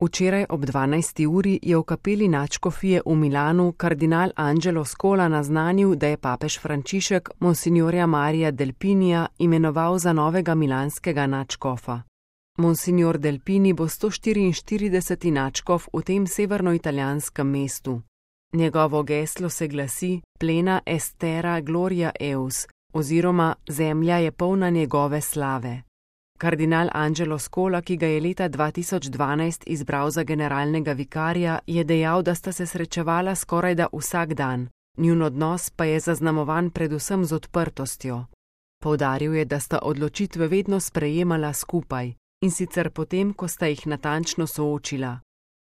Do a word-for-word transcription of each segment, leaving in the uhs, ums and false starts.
Včeraj ob dvanajsti uri je v kapeli nadškofije v Milanu kardinal Angelo Scola naznanil, da je papež Frančišek monsignorja Maria Delpinija imenoval za novega milanskega nadškofa. Monsignor Delpini bo sto štiriinštirideseti nadškof v tem severnoitalijanskem mestu. Njegovo geslo se glasi Plena est terra gloria eus, oziroma Zemlja je polna njegove slave. Kardinal Angelo Scola, ki ga je leta dva tisoč dvanajst izbral za generalnega vikarja, je dejal, da sta se srečevala skorajda vsak dan, njun odnos pa je zaznamovan predvsem z odprtostjo. Poudaril je, da sta odločitve vedno sprejemala skupaj, in sicer potem, ko sta jih natančno soočila.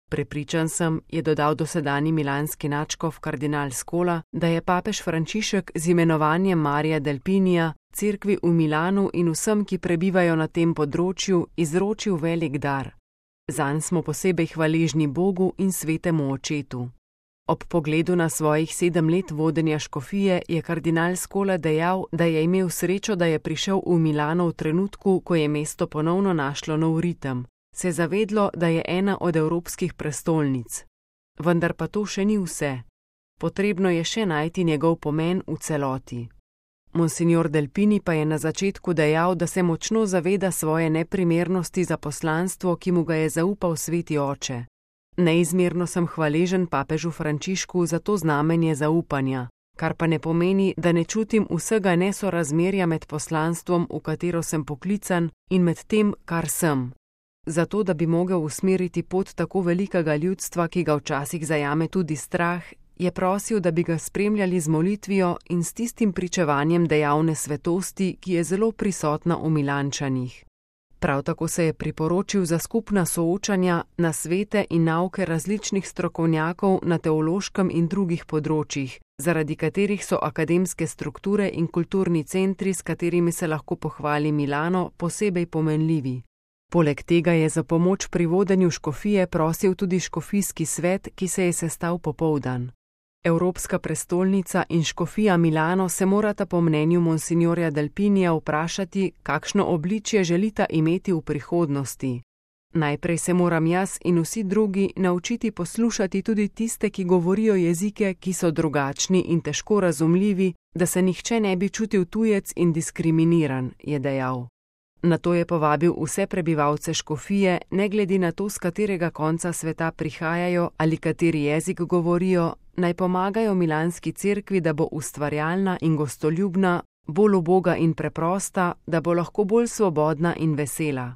Prepričan sem, je dodal dosedanji milanski nadškof kardinal Scola, da je papež Frančišek z imenovanjem Maria Delpinija cerkvi v Milanu in vsem, ki prebivajo na tem področju, izročil velik dar. Zanj smo posebej hvaležni Bogu in svetemu očetu. Ob pogledu na svojih sedem let vodenja škofije je kardinal Scola dejal, da je imel srečo, da je prišel v Milano v trenutku, ko je mesto ponovno našlo nov ritem, se zavedlo, da je ena od evropskih prestolnic. Vendar pa to še ni vse. Potrebno je še najti njegov pomen v celoti. Monsignor Delpini pa je na začetku dejal, da se močno zaveda svoje neprimernosti za poslanstvo, ki mu ga je zaupal sveti oče. Neizmerno sem hvaležen papežu Frančišku za to znamenje zaupanja, kar pa ne pomeni, da ne čutim vsega nesorazmerja med poslanstvom, v katero sem poklican, in med tem, kar sem. Zato, da bi mogel usmeriti pot tako velikega ljudstva, ki ga včasih zajame tudi strah, je prosil, da bi ga spremljali z molitvijo in s tistim pričevanjem dejavne svetosti, ki je zelo prisotna v Milančanih. Prav tako se je priporočil za skupna soočanja, nasvete in nauke različnih strokovnjakov na teološkem in drugih področjih, zaradi katerih so akademske strukture in kulturni centri, s katerimi se lahko pohvali Milano, posebej pomenljivi. Poleg tega je za pomoč pri vodenju škofije prosil tudi škofijski svet, ki se je sestal popoldan. Evropska prestolnica in škofija Milano se morata po mnenju monsignorja Delpinija vprašati, kakšno obličje želita imeti v prihodnosti. Najprej se moram jaz in vsi drugi naučiti poslušati tudi tiste, ki govorijo jezike, ki so drugačni in težko razumljivi, da se nihče ne bi čutil tujec in diskriminiran, je dejal. Nato je povabil vse prebivalce škofije, ne glede na to, z katerega konca sveta prihajajo ali kateri jezik govorijo, naj pomagajo milanski cerkvi, da bo ustvarjalna in gostoljubna, bolj uboga in preprosta, da bo lahko bolj svobodna in vesela.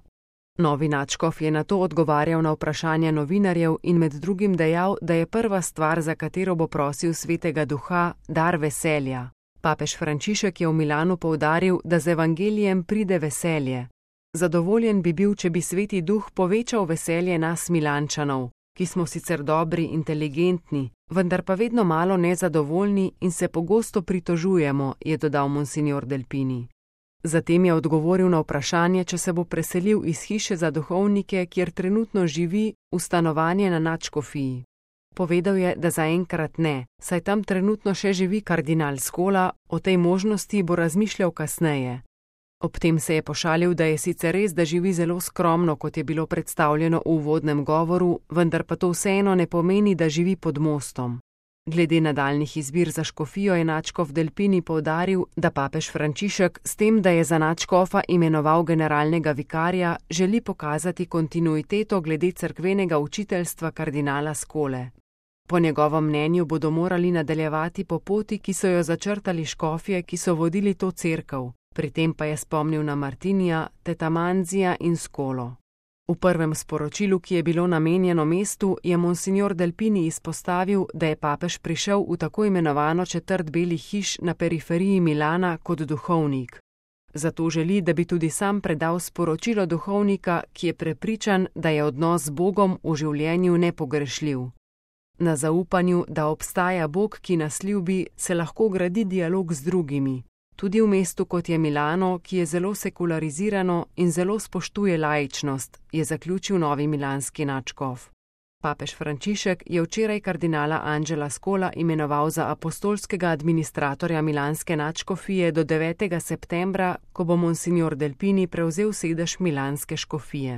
Novi nadškof je nato odgovarjal na vprašanja novinarjev in med drugim dejal, da je prva stvar, za katero bo prosil svetega duha, dar veselja. Papež Frančišek je v Milanu poudaril, da z evangelijem pride veselje. Zadovoljen bi bil, če bi sveti duh povečal veselje nas Milančanov, ki smo sicer dobri, inteligentni, vendar pa vedno malo nezadovoljni in se pogosto pritožujemo, je dodal monsignor Delpini. Zatem je odgovoril na vprašanje, če se bo preselil iz hiše za duhovnike, kjer trenutno živi, v stanovanje na nadškofiji. Povedal je, da zaenkrat ne, saj tam trenutno še živi kardinal Scola, o tej možnosti bo razmišljal kasneje. Ob tem se je pošalil, da je sicer res, da živi zelo skromno, kot je bilo predstavljeno v uvodnem govoru, vendar pa to vseeno ne pomeni, da živi pod mostom. Glede nadaljnjih izbir za škofijo je nadškof Delpini poudaril, da papež Frančišek s tem, da je za nadškofa imenoval generalnega vikarja, želi pokazati kontinuiteto glede cerkvenega učiteljstva kardinala Scole. Po njegovem mnenju bodo morali nadaljevati po poti, ki so jo začrtali škofje, ki so vodili to cerkev, pri tem pa je spomnil na Martinija, Tetamanzija in Scolo. V prvem sporočilu, ki je bilo namenjeno mestu, je monsignor Delpini izpostavil, da je papež prišel v tako imenovano četrt belih hiš na periferiji Milana kot duhovnik. Zato želi, da bi tudi sam predal sporočilo duhovnika, ki je prepričan, da je odnos z Bogom v življenju nepogrešljiv. Na zaupanju, da obstaja Bog, ki nas ljubi, se lahko gradi dialog z drugimi. Tudi v mestu, kot je Milano, ki je zelo sekularizirano in zelo spoštuje laičnost, je zaključil novi milanski nadškof. Papež Frančišek je včeraj kardinala Angela Scola imenoval za apostolskega administratorja milanske nadškofije do devetega septembra, ko bo monsignor Delpini prevzel sedež milanske škofije.